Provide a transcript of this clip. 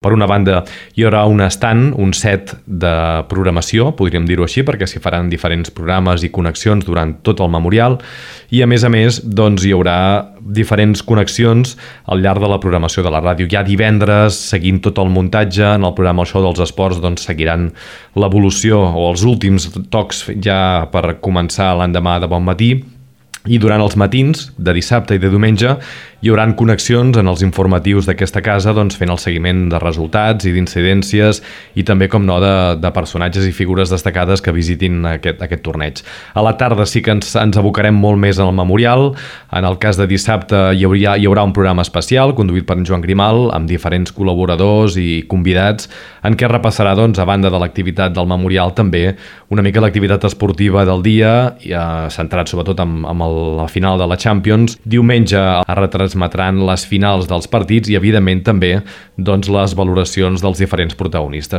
Per una banda, hi haurà un stand, un set de programació, podríem dir-ho així, perquè s'hi faran diferents programes i connexions durant tot el memorial i, a més, doncs, hi haurà diferents connexions al llarg de la programació de la ràdio. Ja divendres, seguint tot el muntatge, en el programa El Show dels Esports, doncs, seguiran l'evolució o els últims tocs ja per començar l'endemà de bon matí. I durant els matins, de dissabte i de diumenge, hi haurà connexions en els informatius d'aquesta casa, doncs, fent el seguiment de resultats i d'incidències i també, com no, de personatges i figures destacades que visitin aquest torneig. A la tarda sí que ens abocarem molt més al memorial. En el cas de dissabte hi haurà un programa especial conduït per en Joan Grimal amb diferents col·laboradors i convidats en què repassarà, doncs, a banda de l'activitat del memorial, també una mica l'activitat esportiva del dia, centrat sobretot amb la final de la Champions. Diumenge es retransmetran les finals dels partits i, evidentment, també, doncs, les valoracions dels diferents protagonistes.